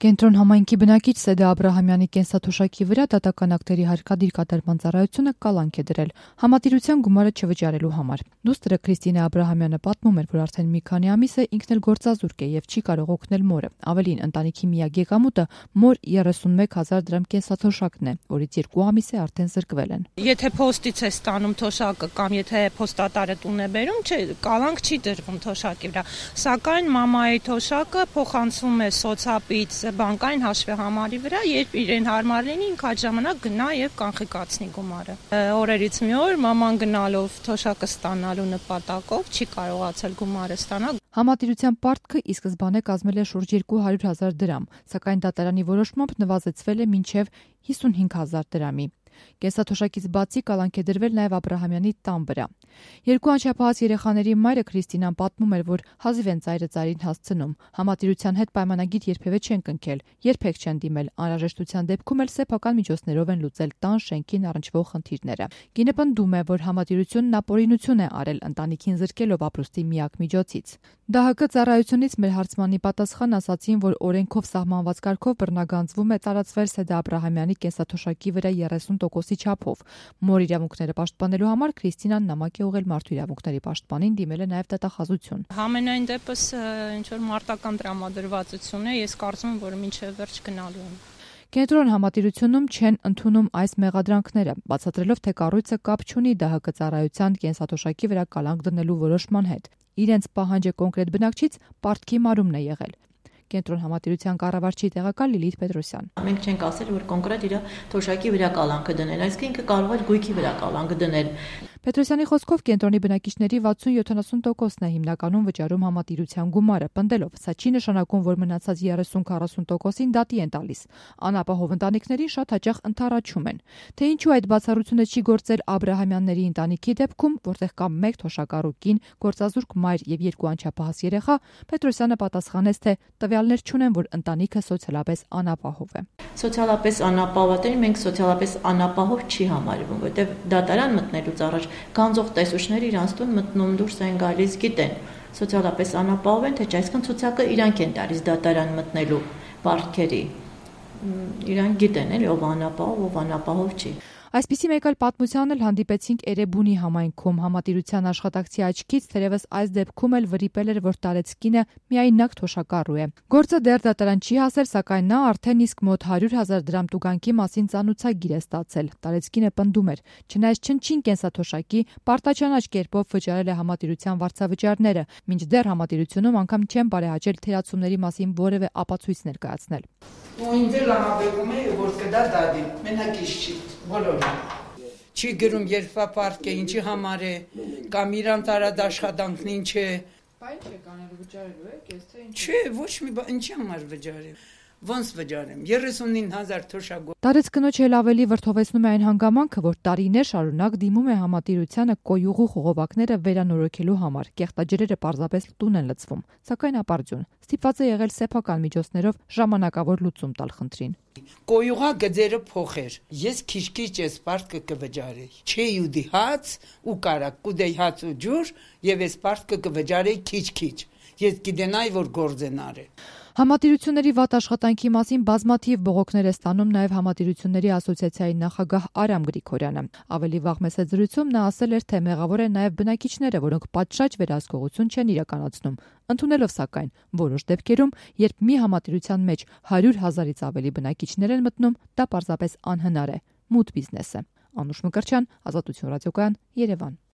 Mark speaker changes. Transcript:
Speaker 1: Կենտրոն համայնքի բնակիչ Սեդա Աբրահամյանի կենսաթոշակի վրա դատական ակտերի հարկադիր կատարման ծառայությունը կալանք է դրել համատիրության գումարը չվճարելու համար։ Դուստրը Քրիստինե Աբրահամյանը պատմում էր, որ արդեն մի քանի ամիս է ինքն էլ գործազուրկ է եւ չի կարող օգնել մորը։ Ավելին, ընտանիքի միակ եկամուտը մոր 31,000 դրամ կենսաթոշակն է, որից 2 ամիս է արդեն զրկվել են։
Speaker 2: Եթե փոստից է ստանում թոշակը կամ եթե փոստատարը տուն է բերում, կալանք չի դրվում թոշակի վրա։ Սակայն մամայի թոշակը փոխանցվում է սոցապից բանկային հաշվի համարի վրա, երբ իրեն հարմար լինի, ինքը այդ ժամանակ գնա եւ կանխիկացնի գումարը։ Օրերից մի օր մաման գնալով թոշակը ստանալու նպատակով չի կարողացել գումարը ստանալ։
Speaker 1: Համատիրության պարտքը ի սկզբանե կազմել է շուրջ 200,000 դրամ, սակայն դատարանի որոշմամբ նվազեցվել է մինչև 55,000 դրամի։ Կենսաթոշակից բացի կալանք է դրվել նաև Աբրահամյանի տան վրա։ 2 անչափահաս երեխաների մայրը Քրիստինան պատմում էր, որ հազիվ են ծայրը ծայրին հասցնում։ Համատիրության հետ պայմանագիր երբևէ չեն կնքել, երբեք չեն դիմել, անհրաժեշտության դեպքում էլ սեփական միջոցներով են լուծել տան շենքին առնչվող խնդիրները։ Կինը պնդում է, որ համատիրությունն ապօրինություն է արել ընտանիքին զրկելով ապրուստի միակ միջոցից։ ԴՀԿ ծառայությունից մեր հարցմանի պատասխան ասացին, որ օրենքով սահմանված կարգով բռնագանձվում է տարածվել Սեդա Աբրահամյանի կենսաթոշակի վրա 30% չափով։ Մոր իրավունքները պաշտպանելու համար Քրիստինան նամակ է ուղղել մարդու իրավունքների պաշտպանին, դիմել է նաև դատախազություն։
Speaker 2: Համենայն դեպս ինչ որ մարտական տրամադրվածություն է, ես կարծում եմ, որ մինչև վերջ գնալու եմ։
Speaker 1: Կենտրոն համատիրությունում չեն ընդունում այս մեղադրանքները, բացատրելով, թե կառույցը կապ չունի ԴՀԿ ծառայության կենսաթոշակի վրա կալանք դնելու որոշման հետ։ Իրենց պահանջը կոնկրետ բնակչից պարտքի մարումն է եղել։ Կենտրոն համատիրության կառավարչի տեղակալ Լիլիթ Պետրոսյան։
Speaker 3: Մենք չենք ասել, որ կոնկրետ իր թոշակի վրա կալանքը դնել, այսինքն ինքը կարող է գույքի վրա կալանք դնել։
Speaker 1: Պետրոսյանի խոսքով կենտրոնի բնակիչների 60-70%-ն է հիմնականում վճարում համատիրության գումարը, պնդելով, սա չի նշանակում, որ մնացած 30-40%-ին դատի են տալիս։ Անապահով ընտանիքներին շատ հաճախ ընդառաջում են։ Թե ինչու այդ բացառությունը չի գործել Աբրահամյանների ընտանիքի դեպքում, որտեղ կա 1 թոշակառու կին, գործազուրկ մայր եւ 2 անչափահաս երեխա, Պետրոսյանը պատասխանեց, թե տվյալներ չունեն, որ ընտանիքը սոցիալապես անապահով է։
Speaker 3: Սոցիալապես անապահովատերին մենք սոցիալապես անապահով չի համարվում, որտեղ դատարան մտնելուց առաջ գանձող տեսուչները իրանց տուն մտնում դուրս են գալիս, գիտեն սոցիալապես անապահով են, թե չէ, այսինքն ցուցակը իրանք են տալիս դատարան մտնելու պարտքերի։ Իրանք գիտեն էլ ով անապահով չի։
Speaker 1: Այսպիսի մեկ այլ պատմության էլ հանդիպեցինք Էրեբունի համայնքում համատիրության աշխատակցի աչքից, թերևս այս դեպքում էլ վրիպել էր, որ տարեցկինը միայնակ թոշակառու է։ Գործը դեռ դատարան չի հասել, սակայն նա արդեն իսկ մոտ 100,000 դրամ տուգանքի մասին ծանուցագիր է ստացել։ Տարեցկինը պնդում էր, չնայած չնչին կենսաթոշակի, պարտաճանաչ կերպով վճարել է համատիրության վարձավճարները, մինչդեռ համատիրությունում անգամ չեն բարեհաճել թերացումների մասին որևէ ապացույց ներկայացնել։
Speaker 4: Ու ինձ էլ համապեղում է, որ կդա դադի, մենակից չի, բոլորը։ Չի գրում երբապարկ է, ինչի համար է, կամ իրան տարած աշխատանքն ինչ է։
Speaker 5: Բայց չեք անելու վճարելու եք, ես թե ինչ։
Speaker 4: Չէ, ոչ մի բան, ինչի համար վճարեմ։ Ոնց վճարեմ, 39,000 թոշակ։
Speaker 1: Տարեց կնոջ էլ ավելի վրդովեցնում է այն հանգամանքը, որ տարիներ շարունակ դիմում է համատիրությանը կոյուղու խողովակները վերանորոգելու համար։ Կեղտաջրերը պարզապես տուն են լցվում, սակայն ապարդյուն։ Ստիպված է եղել սեփական միջոցներով ժամանակավոր լուծում տալ խնդրին։
Speaker 4: Կոյուղա գծերը փոխեր։ Ես քիչ-քիչ ես պարտքը կվճարեի։ Չէի ու դիհաց ու կարակ կուդեի հաց ու ջուր եւ ես պարտքը կվճարեի քիչ-քիչ։ Ես գիտենայի, որ գործ են արել։
Speaker 1: Համատիրությունների վատ աշխատանքի մասին բազմաթիվ բողոքներ է ստանում նաև Համատիրությունների ասոցիացիայի նախագահ Արամ Գրիգորյանը։ Ավելի վաղ մեծ զրույցում նա ասել էր, թե մեղավոր են նաև բնակիչները, որոնք պատշաճ վերահսկողություն չեն իրականացնում, ընդունելով սակայն որոշ դեպքերում, երբ մի համատիրության մեջ 100,000-ից ավելի բնակիչներ են մտնում, դա պարզապես անհնար է, մութ բիզնես է։ Անուշ Մկրտչյան, Ազատություն ռադիոկայան, Երևան։